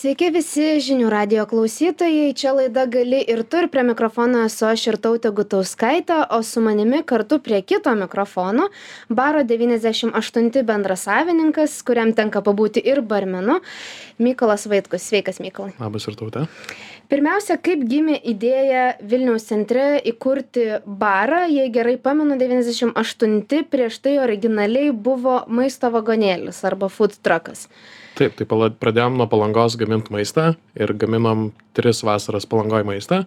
Sveiki visi žinių radijo klausytojai, čia laida Gali ir tu, ir prie mikrofono esu aš Irtautė Gutauskaitė, o su manimi kartu prie kito mikrofono baro 98 bendrasavininkas, kuriam tenka pabūti ir barmenu, Mykolas Vaitkus. Sveikas, Mykolai. Labas, Irtautė. Pirmiausia, kaip gimė idėja Vilniaus centre įkurti barą? Jei gerai pamenu, 98 prieš tai originaliai buvo maisto vagonėlis arba food truckas. Taip, tai pradėjom nuo Palangos gaminti maistą ir gaminom 3 vasaras Palangoj maistą.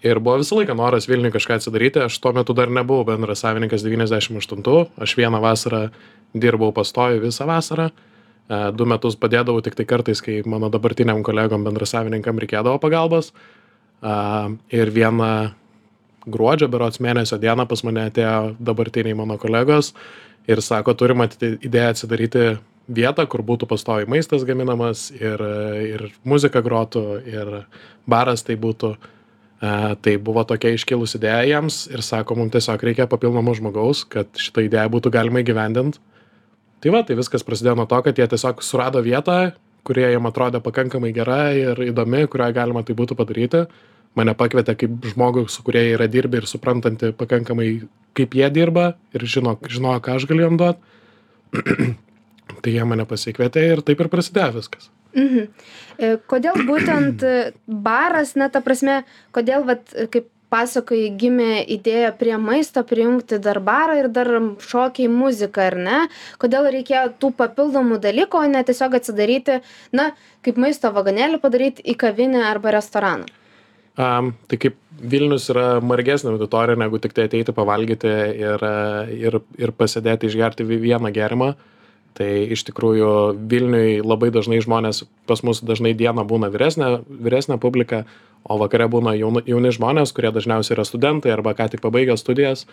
Ir buvo visą laiką noras Vilniui kažką atsidaryti. Aš tuo metu dar nebuvau bendrasavininkas 98. Aš vieną vasarą dirbau pastoviai visą vasarą. 2 metus padėdavau tik tai kartais, kai mano dabartiniam kolegom bendrasavininkam reikėdavo pagalbos. Ir vieną gruodžio berods mėnesio dieną pas mane atėjo dabartiniai mano kolegos ir sako, turim idėją atsidaryti vietą, kur būtų pastoviai maistas gaminamas ir muzika grotų, ir baras tai būtų. Tai buvo tokia iškilus idėja jiems ir sako, mums tiesiog reikia papildomo žmogaus, kad šitą idėją būtų galima įgyvendinti. Tai viskas prasidėjo nuo to, kad jie tiesiog surado vietą, kurie jiem atrodė pakankamai gera ir įdomi, kurioje galima tai būtų padaryti. Mane pakvietė kaip žmogų, su kurie yra dirbę ir suprantanti pakankamai, kaip jie dirba ir žinojo, ką aš galiu jam duoti. Tai jie mane pasikvietė ir taip ir prasidėjo viskas. Kodėl būtent baras, ta prasme, kodėl, kaip pasakoji, gimė idėja prie maisto prijungti dar barą ir dar šokiai muziką, ar ne? Kodėl reikėjo tų papildomų dalykų, o ne tiesiog atsidaryti, kaip maisto vagonėlį padaryti į kavinę arba restoraną? Tai kaip Vilnius yra margesnė auditorija, negu tik tai ateiti pavalgyti ir pasėdėti išgerti vieną gėrimą. Tai iš tikrųjų Vilniui labai dažnai žmonės, pas mus dažnai dieną būna vyresnė publika, o vakare būna jauni žmonės, kurie dažniausiai yra studentai arba ką tik pabaigę studijas.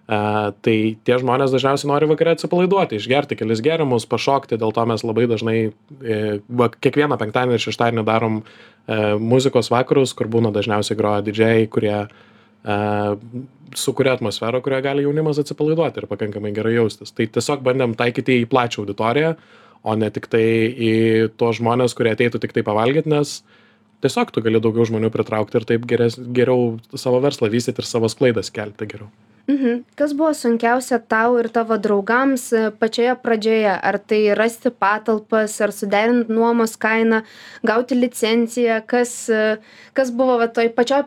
Tai tie žmonės dažniausiai nori vakare atsipalaiduoti, išgerti kelis gėrimus, pašokti, dėl to mes labai dažnai kiekvieną penktadienį ir šeštadienį darom muzikos vakarus, kur būna dažniausiai groja didžėjai, kurie sukuria atmosferą, kurioje gali jaunimas atsipalaiduoti ir pakankamai gerai jaustis. Tai tiesiog bandėm taikyti į plačią auditoriją, o ne tik tai į tuos žmonės, kurie ateitų tik tai pavalgyti, nes tiesiog tu gali daugiau žmonių pritraukti ir taip geriau savo verslą vystyti ir savo sklaidas kelti geriau. Kas buvo sunkiausia tau ir tavo draugams pačioje pradžioje? Ar tai rasti patalpas, ar suderinti nuomos kainą, gauti licenciją? Kas buvo toj pačioj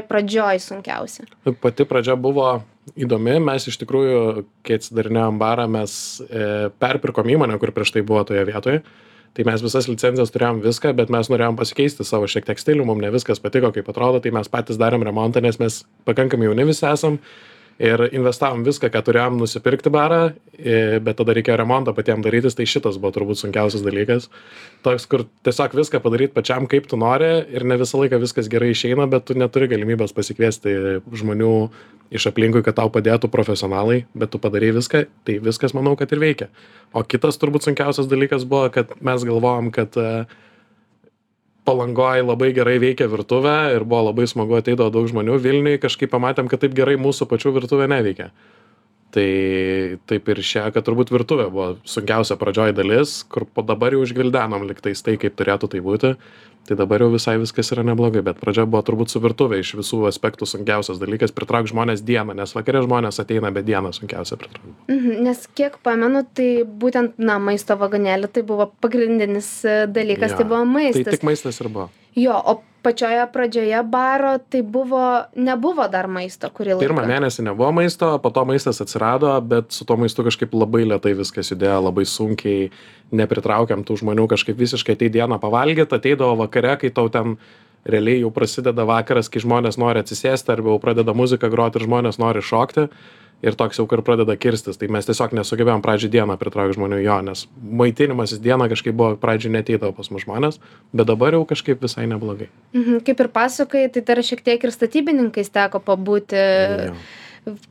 pradžioj sunkiausia? Pati pradžia buvo įdomi. Mes iš tikrųjų, kai atsidarinėjom barą, mes perpirkom įmonę, kur prieš tai buvo toje vietoje. Tai mes visas licencijas turėjom viską, bet mes norėjom pasikeisti savo šiek tiek stilių, mums ne viskas patiko, kaip atrodo, tai mes patys darėm remontą, nes mes pakankamai jauni visi esam. Ir investavom viską, ką turėjom nusipirkti barą, bet tada reikėjo remontą patiems darytis, tai šitas buvo turbūt sunkiausias dalykas. Toks, kur tiesiog viską padaryti pačiam, kaip tu nori ir ne visą laiką viskas gerai išeina, bet tu neturi galimybės pasikviesti žmonių iš aplinkui, kad tau padėtų profesionalai, bet tu padarai viską, tai viskas manau, kad ir veikia. O kitas turbūt sunkiausias dalykas buvo, kad mes galvojom, kad Palangoj labai gerai veikia virtuvė ir buvo labai smagu ateidavo daug žmonių. Vilniui kažkaip pamatėm, kad taip gerai mūsų pačių virtuvė neveikia. Tai taip ir kad turbūt virtuvė buvo sunkiausia pradžioj dalis, kur po dabar jau išgvildenom liktais tai, kaip turėtų tai būti. Tai dabar jau visai viskas yra neblogai, bet pradžia buvo turbūt su virtuvė iš visų aspektų sunkiausias dalykas pritraukti žmonės dieną, nes vakare žmonės ateina, bet dieną sunkiausia pritraukti. Nes kiek pamenu, tai būtent, maisto vagonėlį tai buvo pagrindinis dalykas, tai buvo maistas. Tai tik maistas ir buvo. Jo, o pačioje pradžioje baro tai nebuvo dar maisto kurį laiką. Pirmą mėnesį nebuvo maisto, po to maistas atsirado, bet su to maistu kažkaip labai lėtai viskas judėjo, labai sunkiai nepritraukiam tų žmonių kažkaip visiškai ateit dieną pavalgyti, ateidavo vakare, kai tau ten realiai jau prasideda vakaras, kai žmonės nori atsisėsti arba jau pradeda muziką groti ir žmonės nori šokti. Ir toks jau kur pradeda kirstis, tai mes tiesiog nesugebėjom pradžią dieną pritraukti žmonių nes maitinimasis dieną kažkaip buvo pradžią neteidavo pas mus žmonės, bet dabar jau kažkaip visai neblogai. Kaip ir pasakai, tai dar šiek tiek ir statybininkais teko pabūti.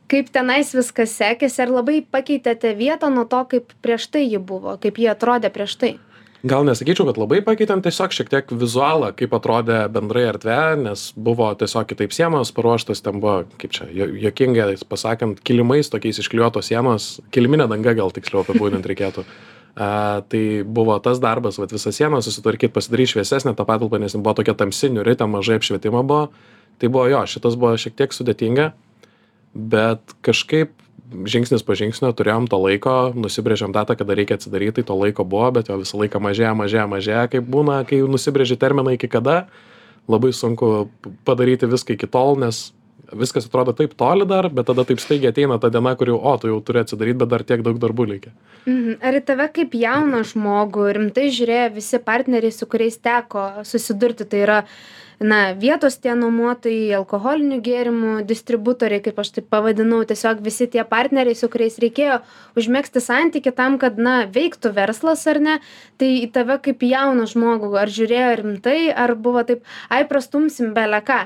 Kaip tenais viskas sekėsi, ar labai pakeitėte vietą nuo to, kaip prieš tai ji buvo, kaip ji atrodė prieš tai? Gal nesakyčiau, kad labai pakeitėm, tiesiog šiek tiek vizualą, kaip atrodė bendrai erdvė, nes buvo tiesiog kitaip sienos paruoštos, ten buvo, kaip čia, juokingai pasakant, kilimais tokiais išklijuotos sienos, kiliminė danga gal tiksliau apibūdinti reikėtų. Tai buvo tas darbas, vat, visą sieną susitvarkyti, pasidaryti šviesesnę tą patalpą, nes buvo tokia tamsi, niuri, ten mažai apšvietimo buvo. Tai buvo jo, šitas buvo šiek tiek sudėtinga, bet kažkaip žingsnis po žingsnio turėjom to laiko, nusibrėžėm datą, kada reikia atsidaryti, tai to laiko buvo, bet jo visą laiką mažėja, kaip būna, kai nusibrėži terminą iki kada, labai sunku padaryti viską iki tol, nes viskas atrodo taip toli dar, bet tada taip staigiai ateina ta diena, kur jau, tu jau turi atsidaryti, bet dar tiek daug darbų reikia. Ar į tave kaip jauną žmogų rimtai žiūrėjo visi partneriai, su kuriais teko susidurti, tai yra vietos tie nuomotojai, alkoholinių gėrimų distributoriai, kaip aš taip pavadinau, tiesiog visi tie partneriai, su kuriais reikėjo užmegzti santykį tam, kad, veiktų verslas ar ne, tai į tave kaip jauną žmogų, ar žiūrėjo rimtai, ar buvo taip, prastumsim bele ką?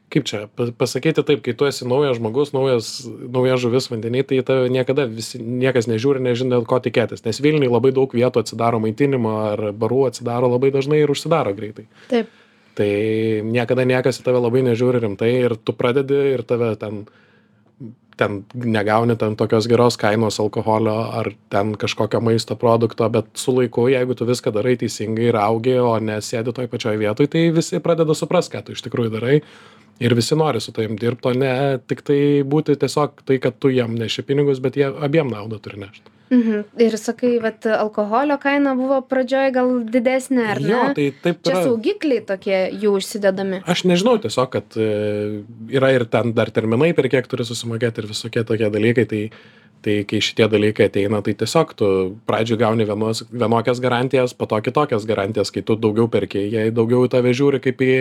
Kaip čia pasakyti taip, kai tu esi naujas žmogus, nauja žuvis vandenį, tai tave niekada niekas nežiūri, nežino, dėl ko tikėtis, nes Vilniuje labai daug vietų atsidaro maitinimo ar barų atsidaro labai dažnai ir užsidaro greitai. Taip. Tai niekada niekas į tave labai nežiūri rimtai ir tu pradedi ir tave ten negauni ten tokios geros kainos alkoholio ar ten kažkokio maisto produkto, bet su laiku, jeigu tu viską darai teisingai ir augi, o nesėdi toj pačioj vietoj, tai visi pradeda suprast, ką tu iš tikrųjų darai ir visi nori su tavim dirbti, o ne tik tai būti tiesiog tai, kad tu jam neši pinigus, bet jie abiem naudą turi nešti. Ir sakai, vat alkoholio kaina buvo pradžioj gal didesnė, ar ne? Jo, tai taip čia saugikliai tokie jų užsidedami. Aš nežinau, tiesiog, kad yra ir ten dar terminai, per kiek turi susimokėti ir visokie tokie dalykai, tai kai šitie dalykai ateina, tai tiesiog tu pradžioj gauni vienokias garantijas, po to kitokias garantijas, kai tu daugiau perki, jie daugiau į tave žiūri kaip į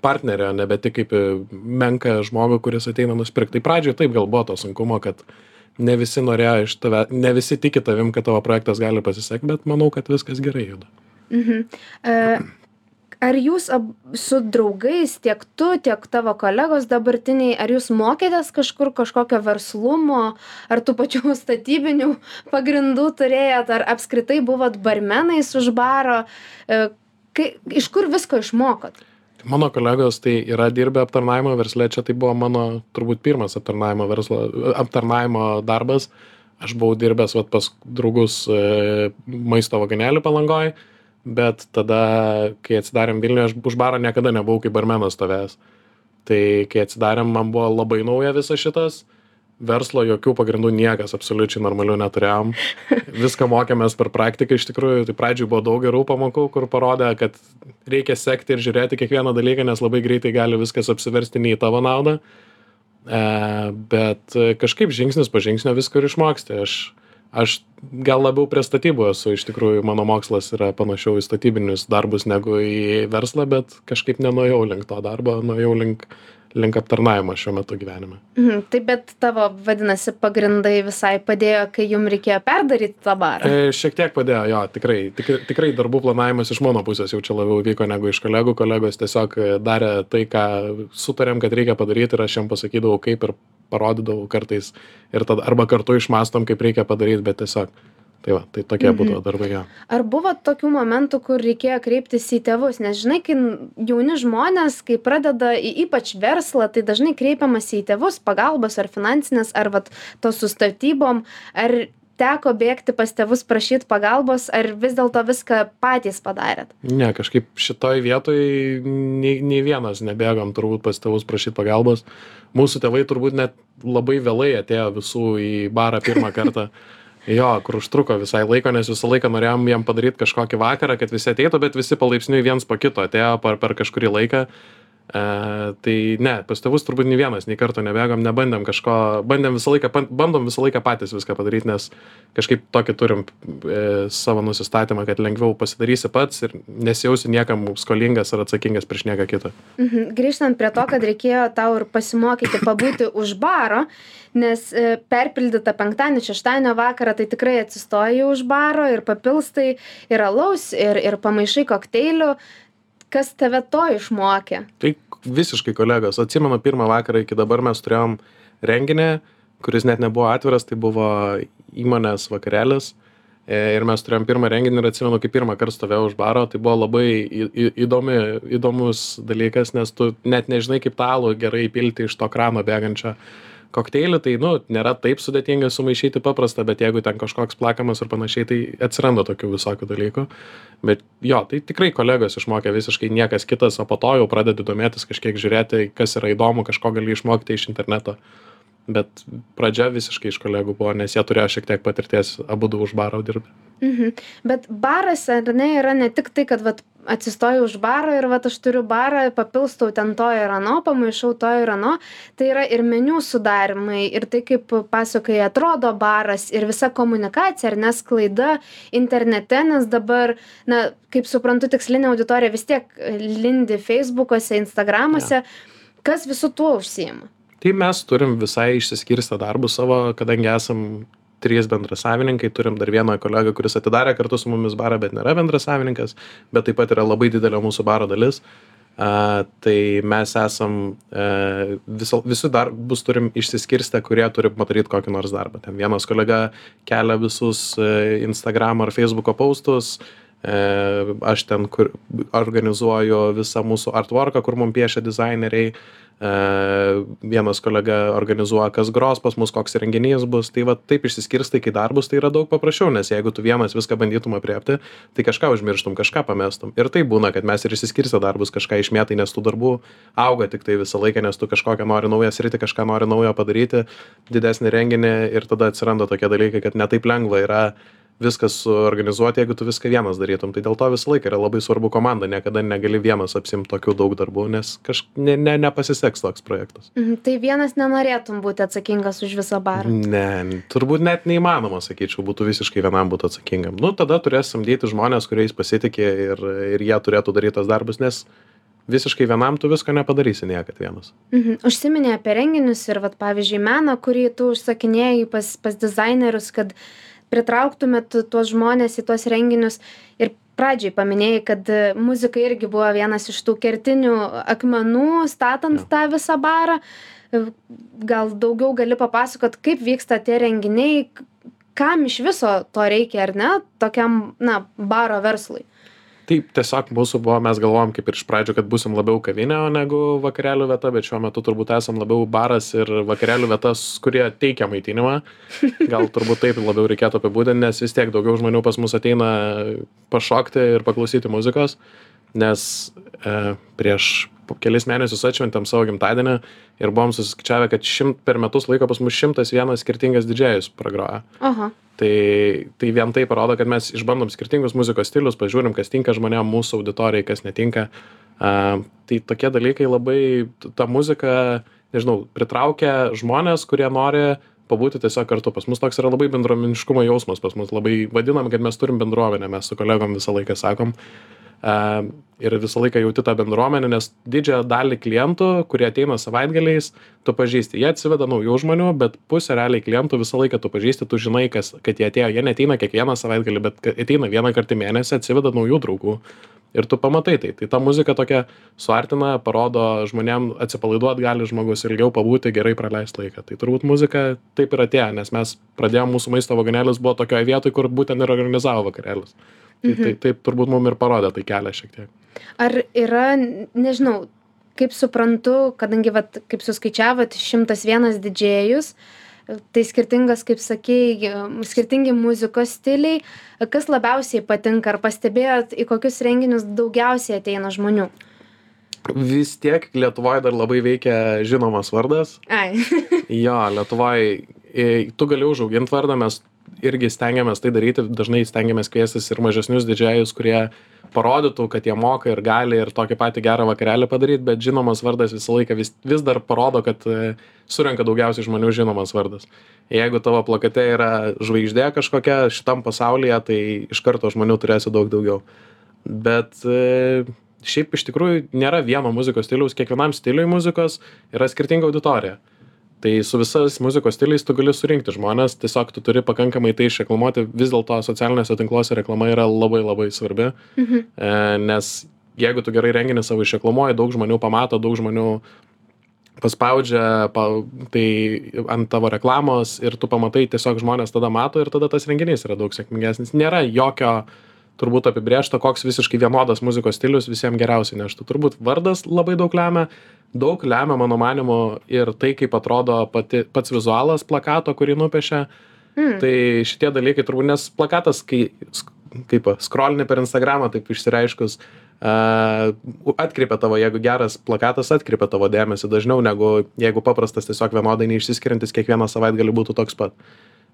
partnerį, o nebe tik kaip į menką žmogų, kuris ateina nusipirkti. Tai pradžioj taip gal buvo to sunkumo, kad ne visi norėjo iš tave, ne visi tiki tavim, kad tavo projektas gali pasisekti, bet manau, kad viskas gerai juda. Ar jūs su draugais, tiek tu, tiek tavo kolegos dabartiniai, ar jūs mokėtės kažkokio verslumo, ar tų pačių statybinių pagrindų turėjot, ar apskritai buvot barmenais už baro, iš kur visko išmokot? Mano kolegos tai yra dirbę aptarnavimo versle, čia tai buvo mano turbūt pirmas aptarnavimo darbas. Aš buvau dirbęs pas draugus maisto vagonėlį Palangoj, bet tada, kai atsidarėm Vilniuje, aš už baro niekada nebuvau kaip barmenas stovėjęs. Tai kai atsidarėm, man buvo labai nauja visas šitas. Verslo jokių pagrindų niekas absoliučiai normalių neturėjom. Viską mokėmės per praktiką iš tikrųjų. Tai pradžioj buvo daug gerų pamokų, kur parodė, kad reikia sekti ir žiūrėti kiekvieną dalyką, nes labai greitai gali viskas apsiversti ne į tavo naudą. Bet kažkaip žingsnis po žingsnio viską ir išmoksti. Aš gal labiau prie statybų esu, iš tikrųjų mano mokslas yra panašiau į statybinius darbus negu į verslą, bet kažkaip nenuėjau link to darbo, nuėjau link aptarnavimo šiuo metu gyvenime. Taip, bet tavo, vadinasi, pagrindai visai padėjo, kai jums reikėjo perdaryti tą barą? Šiek tiek padėjo, jo, tikrai darbų planavimas iš mano pusės jau čia labiau vyko negu iš kolegų. Kolegos tiesiog darė tai, ką sutarėm, kad reikia padaryti ir aš jam pasakydavau, kaip ir parodydavau kartais ir tada arba kartu išmąstom, kaip reikia padaryti, bet tiesiog tai tokie būdavo darbai. Ja. Ar buvo tokių momentų, kur reikėjo kreiptis į tėvus? Nes žinai, kai jauni žmonės, kai pradeda ypač verslą, tai dažnai kreipiamas į tėvus pagalbos ar finansinės, ar to su statybom. Ar teko bėgti pas tėvus prašyti pagalbos, ar vis dėlto viską patys padarėt? Ne, kažkaip šitoj vietoj nei vienas nebėgom turbūt pas tėvus prašyti pagalbos. Mūsų tėvai turbūt net labai vėlai atėjo visų į barą pirmą kartą. Jo, kur užtruko visai laiko, nes visą laiką norėjom jam padaryti kažkokį vakarą, kad visi ateitų, bet visi palaipsniui viens po kito atėjo per kažkurį laiką. Tai ne, pas tėvus turbūt nei vienas, nei karto nebėgom, nebandėm kažko, bandom visą laiką patys viską padaryti, nes kažkaip tokį turim savo nusistatymą, kad lengviau pasidarysi pats ir nesijausi niekam skolingas ar atsakingas prieš nieką kitą. Grįžtant prie to, kad reikėjo tau ir pasimokyti pabūti už baro, nes perpildyta penktadienio, šeštadienio vakarą, tai tikrai atsistoji už baro ir papilstai ir alaus, ir pamaišai kokteilių. Kas tave to išmokė? Tai visiškai kolegos. Atsimenu pirmą vakarą iki dabar mes turėjom renginį, kuris net nebuvo atviras, tai buvo įmonės vakarėlis. Ir mes turėjom pirmą renginį ir atsimenu, kai pirmą kartą stovėjau už baro, tai buvo labai įdomus dalykas, nes tu net nežinai, kaip tą alų gerai įpilti iš to krano bėgančio. kokteilį, tai, nu, nėra taip sudėtinga sumaišyti paprastą, bet jeigu ten kažkoks plakamas ir panašiai, tai atsiranda tokių visokių dalykų. Bet jo, tai tikrai kolegos išmokė visiškai niekas kitas, o po to jau pradedi domėtis kažkiek žiūrėti, kas yra įdomu, kažko gali išmokti iš interneto. Bet pradžia visiškai iš kolegų buvo, nes jie turėjo šiek tiek patirties abudu už baro dirbti. Bet baras, ar ne, yra ne tik tai, kad vat, atsistoju už baro ir vat, aš turiu barą, papilstau ten to ir ano, pamaišau to ir ano. Tai yra ir meniu sudarimai, ir tai, kaip pasakai, atrodo baras, ir visa komunikacija, ar nesklaida internete, nes dabar, na, kaip suprantu, tikslinė auditorija vis tiek lindi Facebook'ose, Instagram'ose. Kas visų tuo užsiima? Tai mes turim visai išsiskirstę darbus savo, kadangi esam 3 bendrasavininkai, turim dar vieną kolegą, kuris atidarė kartu su mumis barą, bet nėra bendrasavininkas, bet taip pat yra labai didelė mūsų baro dalis. Tai mes esam, visų darbus turim išsiskirstę, kurie turi padaryti kokį nors darbą. Ten vienas kolega kelia visus Instagram ar Facebook'o postus, aš ten organizuoju visą mūsų artworką, kur mums piešia dizaineriai. Vienas kolega organizuoja, kas gros pas mus, koks renginys bus. Tai va taip išsiskirstai, kai darbus, tai yra daug paprasčiau, nes jeigu tu vienas viską bandytum apriepti, tai kažką užmirštum, kažką pamestum. Ir tai būna, kad mes ir išsiskirstę darbus kažką išmėtai, nes tų darbų auga tik tai visą laiką, nes tu kažkokią nori naują sritį, kažką nori naujo padaryti, didesnį renginį, ir tada atsiranda tokie dalykai, kad ne taip lengva yra viskas suorganizuoti, jeigu tu viską vienas darytum. Tai dėl to visą laiką yra labai svarbu komanda, niekada negali vienas apsimti tokių daug darbų, nes nepasiseks toks projektas. Tai vienas nenorėtum būti atsakingas už visą barą? Ne, turbūt net neįmanoma, sakyčiau, būtų visiškai vienam būti atsakingam. Nu, tada turės samdyti žmonės, kuriais pasitikė, ir jie turėtų daryti tas darbus, nes visiškai vienam tu visko nepadarysi niekad vienas. Užsiminė apie renginius ir, vat, pavyzdžiui, meną, kurį tu užsakinėjai pas dizainerius, kad pritrauktumėt tuos žmonės į tuos renginius, ir pradžiai paminėjai, kad muzika irgi buvo vienas iš tų kertinių akmenų statant tą visą barą. Gal daugiau gali papasakot, kaip vyksta tie renginiai, kam iš viso to reikia, ar ne, tokiam, na, baro verslui? Taip, tiesiog mūsų buvo, mes galvojom kaip ir iš pradžių, kad būsim labiau kavinė, o negu vakarėlių vieta, bet šiuo metu turbūt esam labiau baras ir vakarėlių vietas, kurie teikia maitinimą. Gal turbūt taip labiau reikėtų apibūdinti, nes vis tiek daugiau žmonių pas mus ateina pašokti ir paklausyti muzikos, nes prieš kelis mėnesius atšventėm savo gimtadienį ir buvom susiskaičiavę, kad per metus laiko pas mus 101 skirtingas didžėjus pragroja. Aha. Tai vien tai parodo, kad mes išbandom skirtingus muzikos stilius, pažiūrim, kas tinka žmonėm, mūsų auditorijai, kas netinka. Tai tokie dalykai labai, ta muzika, nežinau, pritraukia žmonės, kurie nori pabūti tiesiog kartu. Pas mus toks yra labai bendruomeniškumo jausmas, pas mus labai vadinam, kad mes turim bendruomenę, mes su kolegom visą laiką sakom. Ir visą laiką jauti tą bendruomenę, nes didžiąją dalį klientų, kurie ateina savaitgaliais, tu pažįsti. Jie atsiveda naujų žmonių, bet pusę realiai klientų visą laiką tu pažįsti, tu žinai, kad jie atėjo. Jie neateina kiekvieną savaitgalį, bet ateina vieną kartą į mėnesį, atsiveda naujų draugų. Ir tu pamatai tai. Tai ta muzika tokia suartina, parodo žmonėm, atsipalaiduot gali žmogus ilgiau pabūti, gerai praleisti laiką. Tai turbūt muzika taip ir atėjo, nes mes pradėjome, mūsų maisto vagonėlis buvo tokioje vietoje, kur būtent ir organizavo vakarėlius. Tai taip turbūt mums ir parodė tai kelią šiek tiek. Ar yra, nežinau, kaip suprantu, kadangi, vat, kaip suskaičiavot, 101 didžėjus, tai skirtingas, kaip sakei, skirtingi muzikos stiliai. Kas labiausiai patinka, ar pastebėjot, į kokius renginius daugiausiai ateina žmonių? Vis tiek Lietuvoje dar labai veikia žinomas vardas. Ai. Jo, Lietuvoje tu gali užauginti vardą, mes irgi stengiamės tai daryti, dažnai stengiamės kviestis ir mažesnius didžėjus, kurie parodytų, kad jie moka ir gali ir tokį patį gerą vakarėlį padaryti, bet žinomas vardas visą laiką vis dar parodo, kad surenka daugiausiai žmonių žinomas vardas. Jeigu tavo plakate yra žvaigždė kažkokia šitam pasaulyje, tai iš karto žmonių turėsi daug daugiau. Bet šiaip iš tikrųjų nėra vieno muzikos stiliaus, kiekvienam stiliui muzikos yra skirtinga auditorija. Tai su visais muzikos stiliais tu gali surinkti žmonės, tiesiog tu turi pakankamai tai išreklamuoti, vis dėlto socialiniuose tinkluose reklama yra labai labai svarbi, nes jeigu tu gerai renginį savo išreklamuoji, daug žmonių pamato, daug žmonių paspaudžia tai ant tavo reklamos ir tu pamatai, tiesiog žmonės tada mato ir tada tas renginys yra daug sėkmingesnis. Nėra jokio turbūt apibrėžta, koks visiškai vienodas muzikos stilius visiems geriausiai neštų. Turbūt vardas labai daug lemia mano manimu ir tai, kaip atrodo pats vizualas plakato, kurį nupiešia. Tai šitie dalykai turbūt, nes plakatas, kai kaip scrollini per Instagramą, taip išsireiškus, atkreipia tavo, jeigu geras plakatas atkreipia tavo dėmesį dažniau, negu jeigu paprastas tiesiog vienodai neišsiskiriantis kiekvieną savaitgalį būtų toks pat.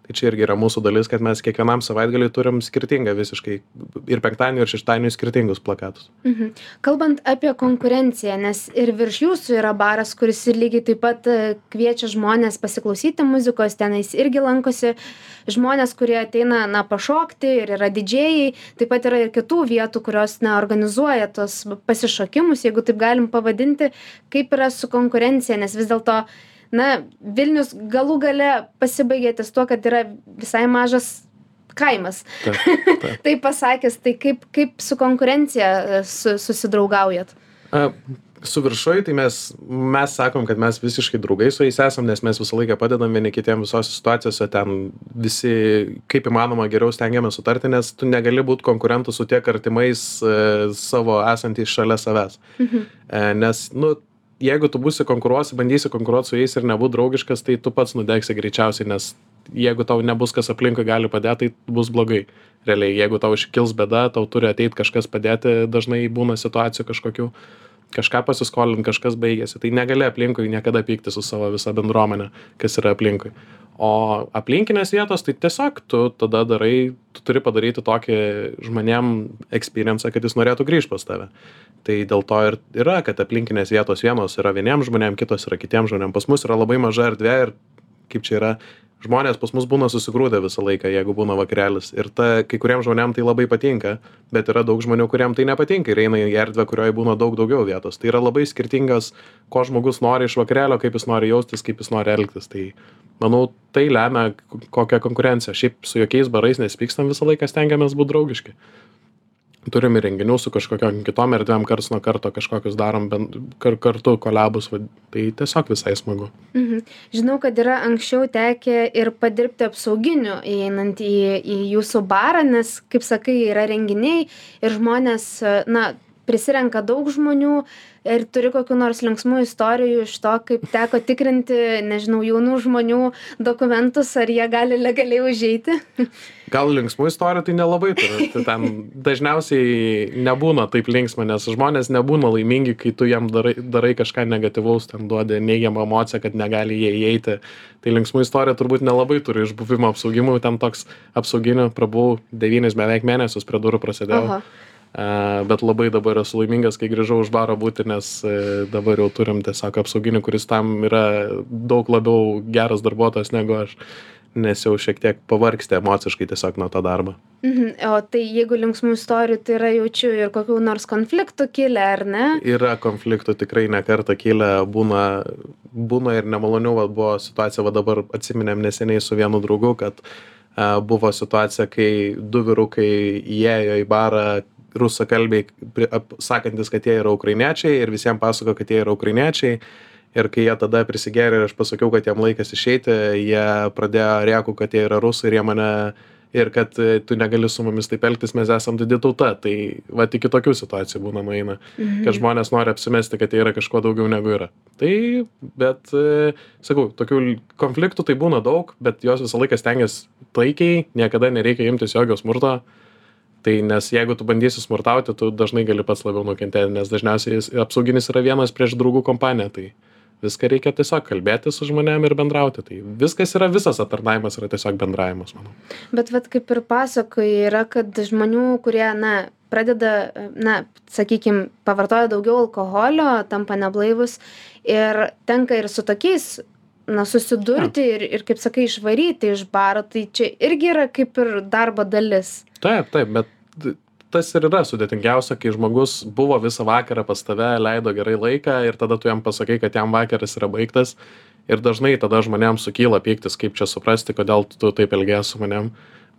Tai čia irgi yra mūsų dalis, kad mes kiekvienam savaitgaliui turim skirtingą visiškai ir penktadienį, ir šeštadienį skirtingus plakatus. Kalbant apie konkurenciją, nes ir virš jūsų yra baras, kuris ir lygiai taip pat kviečia žmonės pasiklausyti muzikos, tenais irgi lankosi žmonės, kurie ateina, pašokti ir yra didžėjai, taip pat yra ir kitų vietų, kurios, organizuoja tos pasišokimus, jeigu taip galim pavadinti, kaip yra su konkurencija, nes vis dėlto Vilnius galų gale pasibaigė ties tuo, kad yra visai mažas kaimas. Tai pasakęs, tai kaip su konkurencija susidraugaujat? Su viršuj, tai mes sakom, kad mes visiškai draugai su jais esam, nes mes visą laiką padedam vieni kitiem visose situacijose, ten visi kaip įmanoma geriau stengiamės sutarti, nes tu negali būti konkurentu su tiek artimais savo esantys šalia savęs. Nes, jeigu tu bandysi konkuruoti su jais ir nebūt draugiškas, tai tu pats nudegsi greičiausiai, nes jeigu tau nebus kas aplinkui gali padėti, tai bus blogai. Realiai, jeigu tau iškils bėda, tau turi ateiti kažkas padėti, dažnai būna situacijų kažkokių, kažką pasiskolinti, kažkas baigėsi. Tai negali aplinkui niekada pykti su savo visa bendruomenė, kas yra aplinkui. O aplinkinės vietos, tai tiesiog tu tada tu turi padaryti tokį žmonėm experience, kad jis norėtų grįžti pas tave. Tai dėl to ir yra, kad aplinkinės vietos vienos yra vieniem žmonėm, kitos yra kitiem žmonėm. Pas mus yra labai maža erdvė ir kaip čia yra, žmonės pas mus būna susigrūdę visą laiką, jeigu būna vakarėlis. Ir kai kuriem žmonėm tai labai patinka, bet yra daug žmonių, kuriem tai nepatinka ir eina į erdvę, kurioje būna daug daugiau vietos. Tai yra labai skirtingas, ko žmogus nori iš vakarėlio, kaip jis nori jaustis, kaip jis nori elgtis. Tai manau, tai lemia kokią konkurenciją. Šiaip su jokiais barais nesipykstam, visą laiką stengiamės būti draugiški. Turim ir renginių su kažkokiom kitom erdvėm, karts nuo karto kažkokius darom kartu kolabus, tai tiesiog visai smagu. Žinau, kad yra anksčiau tekę ir padirbti apsauginiu įeinant į jūsų barą, nes, kaip sakai, yra renginiai ir žmonės, prisirenka daug žmonių ir turi kokių nors linksmų istorijų iš to, kaip teko tikrinti, nežinau, jaunų žmonių dokumentus, ar jie gali legaliai užeiti? Gal linksmų istorijų tai nelabai turi. Tai ten dažniausiai nebūna taip linksma, nes žmonės nebūna laimingi, kai tu jam darai kažką negatyvaus, ten duodi neigiamą emociją, kad negali jie įeiti. Tai linksmų istorija turbūt nelabai turi iš buvimo apsaugimų, ten toks apsauginių prabuvau 9 beveik mėnesius prie durų prasidėjau. Bet labai dabar esu laimingas, kai grįžau už baro būti, nes dabar jau turim tiesiog apsauginį, kuris tam yra daug labiau geras darbuotojas negu aš, nes jau šiek tiek pavargsti emociškai tiesiog nuo to darbo. O tai jeigu linksmų istorijų, tai yra jaučiu ir kokių nors konfliktų kilę, ar ne? Yra konfliktų tikrai ne kartą kilę, būna ir nemalonių, buvo situacija, dabar atsiminėm neseniai su vienu draugu, kad buvo situacija, kai 2 vyrukai įėjo į barą, rusakalbiai, sakantis, kad jie yra ukrainiečiai ir visiems pasako, kad jie yra ukrainiečiai. Ir kai jie tada prisigėrė ir aš pasakiau, kad jam laikas išeiti, jie pradėjo rėkų, kad jie yra rusai ir jie mane, ir kad tu negali su mumis taip elgtis, mes esam didi tauta. Tai iki tokių situacijų būna nueina, kad žmonės nori apsimesti, kad jie yra kažkuo daugiau negu yra. Tai, bet, sakau, tokių konfliktų tai būna daug, bet jos visą laiką stengiasi taikiai, niekada nereikia imtis jokio smurto. Tai nes jeigu tu bandysi smurtauti, tu dažnai gali pats labiau nukentėti, nes dažniausiai apsauginis yra vienas prieš draugų kompaniją, tai viską reikia tiesiog kalbėti su žmonėm ir bendrauti. Tai visas aptarnavimas yra tiesiog bendravimas, manau. Bet kaip ir pasakoji, yra, kad žmonių, kurie, pradeda, sakykime, pavartoja daugiau alkoholio, tampa neblaivus ir tenka ir su tokiais susidurti ir, kaip sakai, išvaryti iš baro, tai čia irgi yra kaip ir darbo dalis. Taip, bet tas ir yra sudėtingiausia, kai žmogus buvo visą vakarą pas tave, leido gerai laiką ir tada tu jam pasakai, kad jam vakaras yra baigtas ir dažnai tada žmonėms sukyla pyktis, kaip čia suprasti, kodėl tu taip elgiesi su manėm.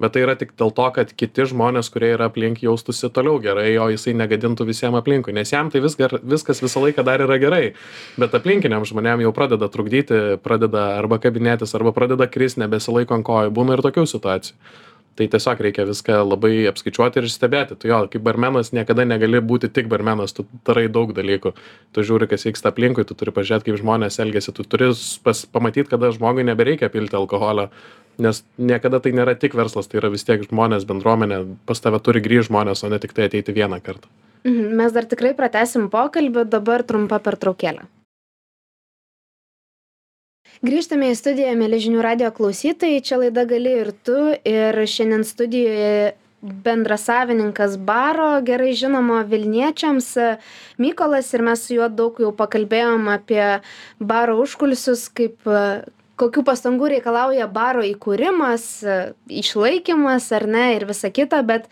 Bet tai yra tik dėl to, kad kiti žmonės, kurie yra aplink, jaustųsi toliau gerai, o jisai negadintų visiems aplinkui. Nes jam tai viskas visą laiką dar yra gerai. Bet aplinkiniam žmonėm jau pradeda trukdyti, pradeda arba kabinėtis, arba pradeda kristi, nebesilaiko ant kojų. Būna ir tokių situacijų. Tai tiesiog reikia viską labai apskaičiuoti ir stebėti. Tu jo, kaip barmenas niekada negali būti tik barmenas, tu darai daug dalykų. Tu žiūri, kas vyksta aplinkui, tu turi pažiūrėti, kaip žmonės elgesi, tu turi pamatyti, kada žmogui nebereikia pilti alkoholio, nes niekada tai nėra tik verslas, tai yra vis tiek žmonės, bendruomenė, pas tave turi grįžti žmonės, o ne tik tai ateiti vieną kartą. Mes dar tikrai pratęsim pokalbį, dabar trumpa pertraukėlė. Grįžtame į studiją, mėly Žinių radijo klausytojai, čia laida Gali ir tu, ir šiandien studijoje bendrasavininkas baro, gerai žinomo Vilniečiams, Mykolas, ir mes su juo daug jau pakalbėjom apie baro užkulisius, kokių pastangų reikalauja baro įkūrimas, išlaikymas ar ne ir visa kita, bet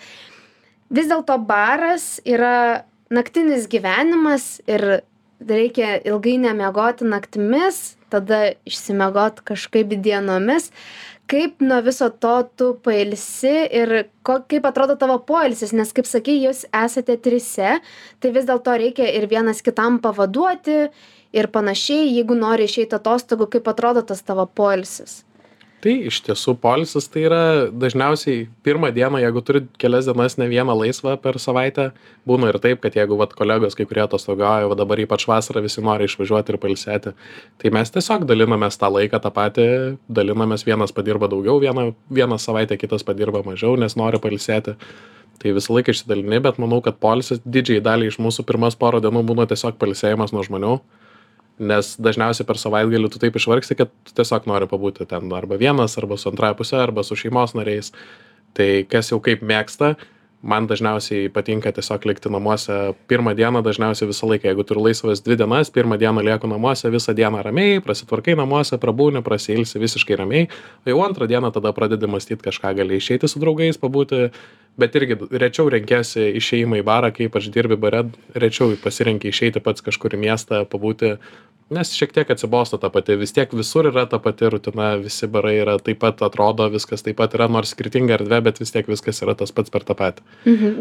vis dėlto baras yra naktinis gyvenimas ir reikia ilgai nemiegoti naktimis, tada išsimiegot kažkaip dienomis. Kaip nuo viso to tu pailsi ir kaip atrodo tavo poilsis, nes kaip sakai, jūs esate trise, tai vis dėlto reikia ir vienas kitam pavaduoti ir panašiai, jeigu nori išeiti atostogų, kaip atrodo tas tavo poilsis? Tai iš tiesų poilsis tai yra dažniausiai pirmą dieną, jeigu turi kelias dienas ne vieną laisvą per savaitę, būna ir taip, kad jeigu kolegos kai kurie atostogauja, dabar ypač vasarą visi nori išvažiuoti ir pailsėti, tai mes tiesiog dalinamės tą laiką tą patį, dalinamės, vienas padirba daugiau, vieną savaitę kitas padirba mažiau, nes nori pailsėti. Tai visą laiką išsidalini, bet manau, kad poilsis didžiai daliai iš mūsų pirmas porą dienų būna tiesiog pailsėjimas nuo žmonių. Nes dažniausiai per savaitgalį tu taip išvargsti, kad tu tiesiog nori pabūti ten arba vienas, arba su antrąja pusė, arba su šeimos nariais. Tai kas jau kaip mėgsta, man dažniausiai patinka tiesiog likti namuose pirmą dieną, dažniausiai visą laiką. Jeigu turiu laisvas 2 dienas, pirmą dieną lieku namuose, visą dieną ramiai, prasitvarkai namuose, prabūni, prasiilsi visiškai ramiai. O jau antrą dieną tada pradedi mąstyti kažką, gali išeiti su draugais, pabūti, bet irgi rečiau renkiesi išėjimą į barą, kai ypač dirbi bare, rečiau pasirenki išeiti pats kažkur į miestą, pabūti. Nes šiek tiek atsibosta ta pati, vis tiek visur yra ta pati rutina, visi barai yra taip pat, atrodo, viskas taip pat yra, nors skirtinga erdvė, bet vis tiek viskas yra tas pats per tą patį.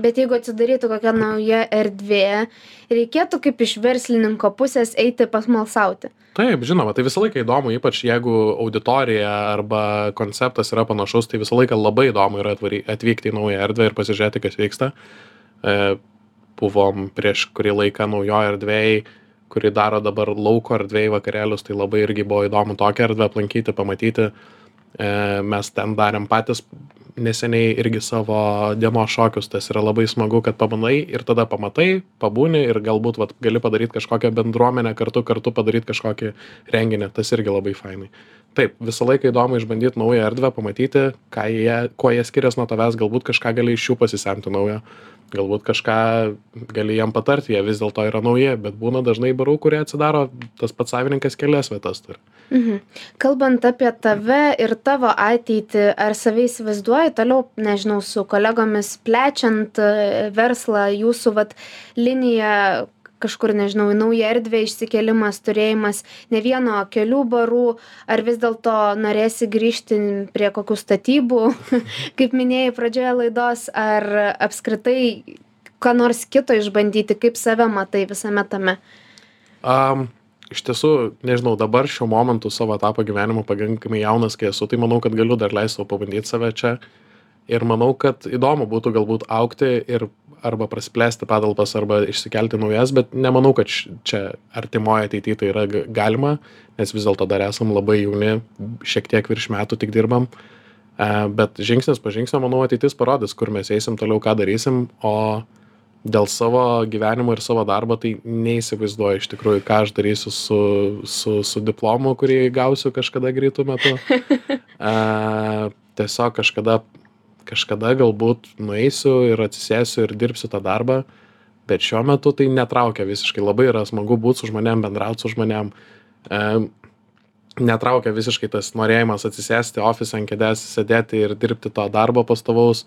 Bet jeigu atsidarytų kokia nauja erdvė, reikėtų kaip iš verslininko pusės eiti pasmalsauti? Taip, žinoma, tai visą laiką įdomu, ypač jeigu auditorija arba konceptas yra panašus, tai visą laiką labai įdomu yra atvykti į naują erdvę ir pasižiūrėti, kas vyksta. Buvom prieš kurį laiką naujoje erdvėje, kuri daro dabar lauko erdvėje vakarėlius, tai labai irgi buvo įdomu tokią erdvę aplankyti, pamatyti. Mes ten darėm patys neseniai irgi savo dienos šokius, tas yra labai smagu, kad pabandai ir tada pamatai, pabūni ir galbūt gali padaryti kažkokią bendruomenę, kartu padaryti kažkokį renginį, tas irgi labai fainai. Taip, visą laiką įdomu išbandyti naują erdvę, pamatyti, kuo jie skiriasi nuo tavęs, galbūt kažką gali iš jų pasisemti naujo. Galbūt kažką gali jam patarti, jie vis dėlto yra nauji, bet būna dažnai barų, kurie atsidaro, tas pats savininkas kelias vietas turi. Kalbant apie tave ir tavo ateitį, ar save įsivaizduoji toliau, nežinau, su kolegomis plečiant verslą, jūsų liniją kažkur, nežinau, į naują erdvę išsikėlimas, turėjimas ne vieno, kelių barų, ar vis dėlto norėsi grįžti prie kokių statybų, kaip minėjai pradžioje laidos, ar apskritai ką nors kito išbandyti, kaip save matai visame tame? Iš tiesų, nežinau, dabar šiuo momentu savo etapą gyvenimo pakankamai jaunas, kai esu, tai manau, kad galiu dar leisti savo pabandyti save čia. Ir manau, kad įdomu būtų galbūt augti ir arba prasiplėsti patalpas, arba išsikelti naujas, bet nemanau, kad čia artimoje ateityje tai yra galima, nes vis dėlto dar esam labai jauni, šiek tiek virš metų tik dirbam. Bet žingsnis po žingsnio, manau, ateitis parodys, kur mes eisim toliau, ką darysim, o dėl savo gyvenimo ir savo darbo tai neįsivaizduoju iš tikrųjų, ką aš darysiu su diplomu, kurį gausiu kažkada greitų metu. Tiesiog kažkada galbūt nueisiu ir atsisėsiu ir dirbsiu tą darbą, bet šiuo metu tai netraukia visiškai. Labai yra smagu būti su žmonėm, bendrauti su žmonėm. Netraukia visiškai tas norėjimas atsisėsti ofise ant kėdės, sėdėti ir dirbti to darbo pastovaus.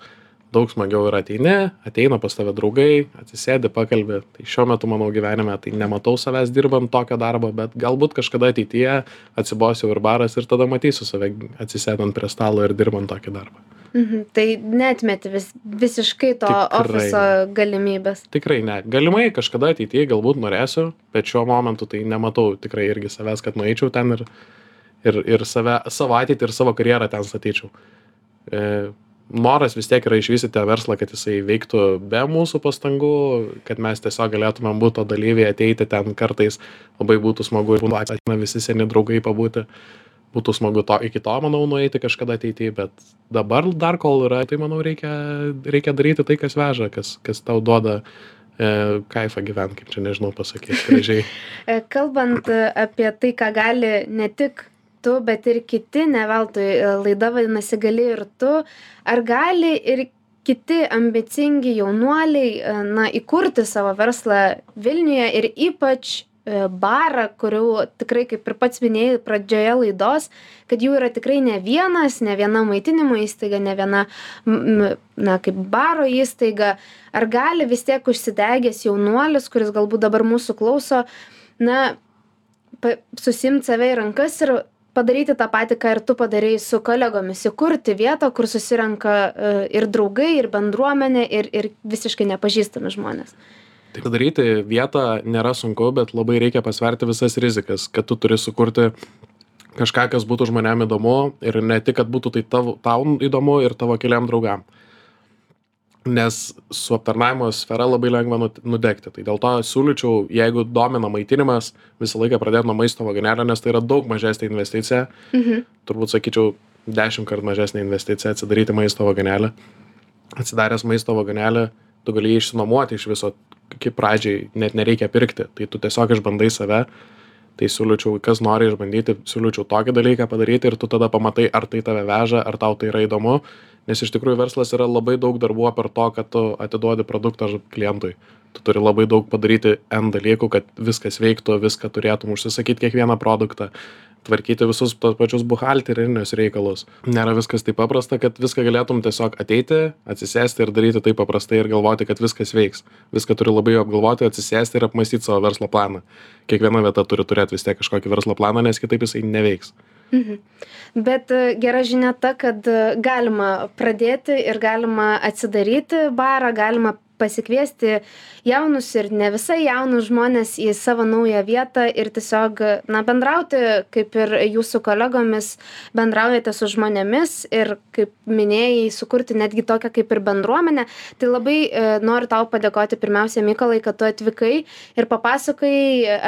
Daug smagiau yra ateina pas tave draugai, atsisėdi, pakalbi. Tai šiuo metu mano gyvenime tai nematau savęs dirbant tokio darbo, bet galbūt kažkada ateityje atsibosiu ir baras ir tada matysiu save atsisėdant prie stalo ir dirbant tokį darbą. Tai neatmeti visiškai to ofiso galimybės? Tikrai ne. Galimai kažkada ateityje galbūt norėsiu, bet šiuo momentu tai nematau tikrai irgi savęs, kad nueičiau ten ir savo ateitį ir savo karjerą ten statyčiau. noras vis tiek yra išvystyti tą verslą, kad jisai veiktų be mūsų pastangų, kad mes tiesiog galėtumėm būti to dalyviai, ateiti ten kartais, labai būtų smagu ir ateina visi seni draugai pabūti. Būtų smagu iki to, manau, nueiti kažkada ateityje, bet dabar dar kol yra, tai manau reikia daryti tai, kas veža, kas tau duoda kaifą gyventi, kaip čia nežinau pasakyti gražiai. Kalbant apie tai, ką gali ne tik tu, bet ir kiti, ne veltui laida vadinasi gali ir tu, ar gali ir kiti ambicingi jaunuoliai įkurti savo verslą Vilniuje ir ypač barą, kurių tikrai, kaip ir pats minėjai pradžioje laidos, kad jų yra tikrai ne viena maitinimo įstaiga, ne viena, kaip baro įstaiga. Ar gali vis tiek užsidegęs jaunuolis, kuris galbūt dabar mūsų klauso, susiimti save į rankas ir padaryti tą patį, ką ir tu padarei su kolegomis, įkurti vietą, kur susirenka ir draugai, ir bendruomenė, ir visiškai nepažįstami žmonės? Tai padaryti vietą nėra sunku, bet labai reikia pasverti visas rizikas, kad tu turi sukurti kažką, kas būtų žmonėm įdomu ir ne tik, kad būtų tai tau įdomu ir tavo keliam draugam. Nes su aptarnavimo sfera labai lengva nudegti. Tai dėl to siūlyčiau, jeigu domina maitinimas, visą laiką pradėti nuo maisto vagonėlio, nes tai yra daug mažesnė investicija. Turbūt sakyčiau 10 kartų mažesnė investicija atsidaryti maisto vagonėlį. Atsidaręs maisto vagonėlį, tu gali išsinuomoti iš viso, kaip pradžiai net nereikia pirkti, tai tu tiesiog išbandai save, tai siūlyčiau, kas nori išbandyti, siūlyčiau tokį dalyką padaryti ir tu tada pamatai, ar tai tave veža, ar tau tai yra įdomu, nes iš tikrųjų verslas yra labai daug darbų per to, kad tu atiduodi produktą klientui. Tu turi labai daug padaryti N dalykų, kad viskas veiktų, viską turėtum užsisakyti kiekvieną produktą, tvarkyti visus tos pačius buhalterinius reikalus. Nėra viskas taip paprasta, kad viską galėtum tiesiog ateiti, atsisėsti ir daryti taip paprastai ir galvoti, kad viskas veiks. Viską turi labai apgalvoti, atsisėsti ir apmąstyti savo verslo planą. Kiekviena vieta turi turėti vis tiek kažkokį verslo planą, nes kitaip jisai neveiks. Bet gera žinia ta, kad galima pradėti ir galima atsidaryti barą, galima pasikviesti jaunus ir ne visai jaunus žmonės į savo naują vietą ir tiesiog bendrauti, kaip ir jūsų kolegomis bendraujate su žmonėmis ir, kaip minėjai, sukurti netgi tokią kaip ir bendruomenę. Tai labai noriu tau padėkoti pirmiausia, Mykolai, kad tu atvykai ir papasakai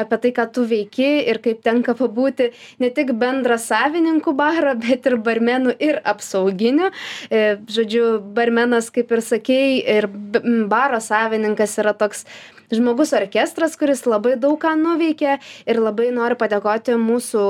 apie tai, ką tu veiki ir kaip tenka pabūti ne tik bendra savininkų baro, bet ir barmenų ir apsauginių. Žodžiu, barmenas, kaip ir sakei, ir baro savininkas yra toks žmogus orkestras, kuris labai daug ką nuveikė ir labai noriu padėkoti mūsų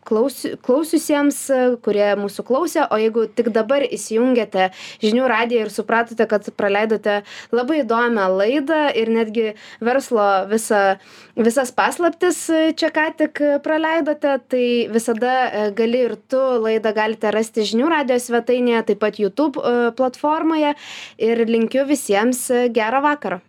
klausiusiems, kurie mūsų klausė, o jeigu tik dabar įsijungėte žinių radiją ir supratote, kad praleidote labai įdomią laidą ir netgi verslo visas paslaptis čia ką tik praleidote, tai visada gali ir tu laidą galite rasti žinių radijos svetainėje, taip pat YouTube platformoje ir linkiu visiems gero vakaro.